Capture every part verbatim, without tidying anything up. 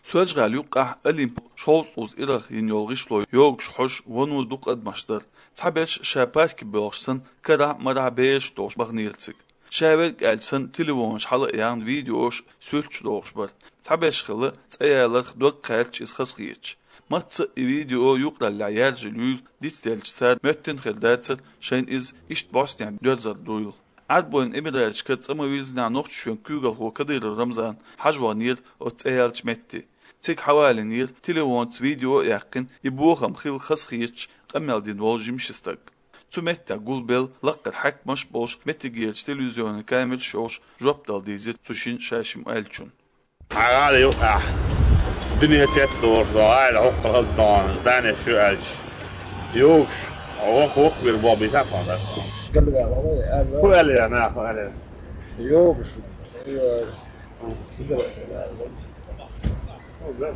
Соьлжа-ГӀалий юккъехь Олимп шовзткъе ткъаьсса ирах йина йолу гӀишло йогуш хьожуш вуно дукха адамаш дара. Цхьаберш ша парке боьлхуш санна, карахь а, марахь а бераш а долуш баханера цига. Ша верг аьлча санна, телефонаш хьала а яьхна, видеош, суьрташ дохуш бара. Цхьаберш хилла цӀе яларх дог кхаьрдаш иза хазахеташ. Мацца а и видео юкъараллехь яржийла юйла дицделча, цара моьттина хир дацара шайна иза иштта бӀостанехь доьрзар дуйла. Ӏарбойн Эмираташкара цӀа ма-вирзинехь Нохчийчоьнан куьйгалхо Кадыров Рамзан хьажа ваханера оцу цӀе яьллачу метте. Цига хьавалийнера, телефонца видео а яьккхина, и бохам хилла хазахеташ къамел дина волу жима ши стаг. Цу меттехь гулбелла лаккхара хьаькамаш а болуш, меттигерчу телевизионан камераш а йолуш, жоп дала дийзира цу шина ша шимма аьллачунна. Хьан гӀала юкъахь дуьне цецдолуш долу гӀала хӀокху хаза догӀана, здание шу аьлча. Йогуш, вокху-вокху вир боху бийца а кхунна. Ху аьлла, нах, ху аьлла. Йогуш.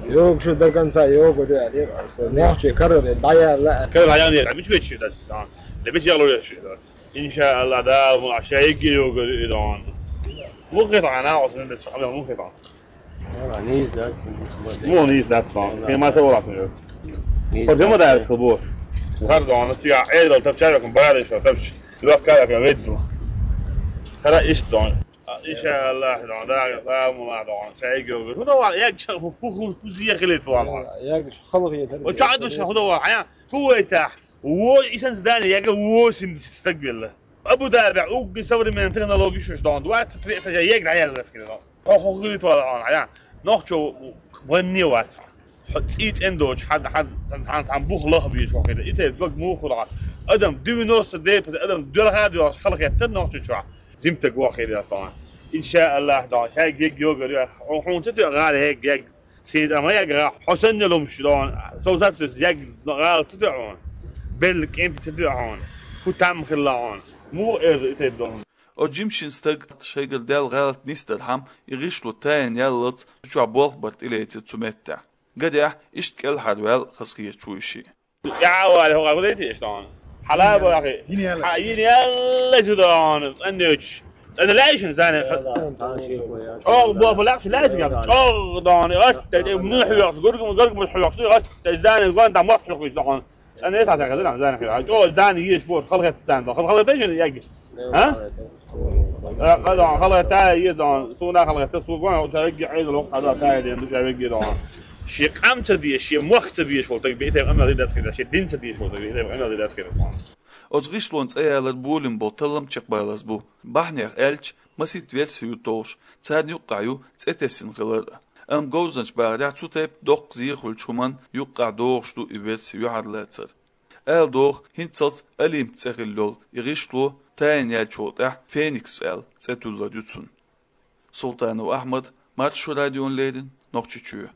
Йогуш до конца йогуш аьлла. Нохчий карара дӀаяьлла. Карара дӀаяьлла, мича вечу дац, да. Да мича яло вечу дац. Иншаалла, да, ма, ша йигге йогуш, и догӀана. Муххе тахана, оцу нах, муххе тахана. Нийса дац. Муха нийса дац, догӀана. Кхин ма ца валац, нийса. Кхо жима дац, хила боху. Хар догӀана, цига Ӏедал тапча, бара ишо тапча. Лохка, лохка, ведла. Хара иштта догӀана. Иншаалла, догӀана, да, да, мула догӀана. Ша йигге йогуш. ХӀун дан вала, яг ча, хӀу, хӀу, хӀу, хӀу зехилийта вала. Яг халгӀа езар. О, ча, даш, хӀун дан вала, хьан, хӀу вайтахь. Во, исан здание, яг восемьдесят стаг велла. Абу-Дабихь угги современный технологии шуьш догӀана. Двадцать три этажа егра яьлла скина догӀана. Хьо хӀокху гуьлуьйту вала хьуна, Ӏа. Нохчо ванне вац. Хьо цӀий цӀена доцуш, хьан, хьан, хьан, хьан бух лаха безаш хьо хир. И тайпа дог муха хуьлу хьан. Адам девяносто девять процент адам доьлха а доьлхуш халахеттара нохчо чохь. Зимтаг воху хир яц хьуна. Иншааллах, догӀана. Хьегга йогур ю. Хьо, хьуна ца тоьа гӀала хьегга, хьегга. Сен цӀа ма яггара, хьо санна ломаш догӀана, сов сацвес ягга гӀала ца тоьа хьуна. Белла кӀентий ца тоьа хьуна. ХӀун там хилла хьуна. Муха эр и тайпа догӀана? Оцу жима шина стага шайгара даьлла гӀалат нисдархьама, и гӀишло тайна яллалц цу чохь болх бар тӀелецира цу меттехь. Гадехь, иштта кӀелхьарваьлла хазахеташ ву и шиъ. ТӀаьхьа вале, хӀокху гӀо дайта еш догӀана? Хьала а бахи. Йина яьлла. Хьа, йина яьлла иза догӀана, цӀаннечу. ЦӀанна лаьий шуна, зана? ЧӀогӀа боху лаьхча лаьий цигахь? ЧӀогӀа догӀана, атта, тӀе муьлхха хьоькхуш, гургам, гургамаш хьоькхуш, атта, зана, гон дӀа мотт хьоькхуш догӀана. ЦӀанна тӀе тӀе хезира, зана, хила. ЧӀогӀа зана еш боху, халахетта царна, хала-, халахетта шуна яггаш? А? Э, къа догӀана, халахетта еза догӀана, суна халахетта, суна гон, ша вегги Ӏедал воккха хьада, тая ден, ша вегги догӀана. Шен къам ца дезаш, шен мохк ца дезаш волу стаг, бейтар къамел дина дац кхидӀа, шен дин ца дезаш волу стаг, бейтар къамел дина дац кхидӀа. Оцу гӀишлонан цӀе ялар болийна болу таллам чекхбалаза бу. Бахьанех аьлча, масийтта верси ю толлуш, царна юккъехь ю цӀе тесна хилар а. Амма говзанчаша бахарехь, цу тайпа доккха зен хуьлучу хӀуманна юккъехь догӀуш ду и верси юьхьарлацар. Ала догӀу, хӀинццалц Олимп цӀе хилла йолу и гӀишло тайна яьллачул тӀаьхьа Феникс аьлла цӀе туьллур ю цунна. Султанов Ахьмад, Маршо радиона леррина, Нохчийчоь.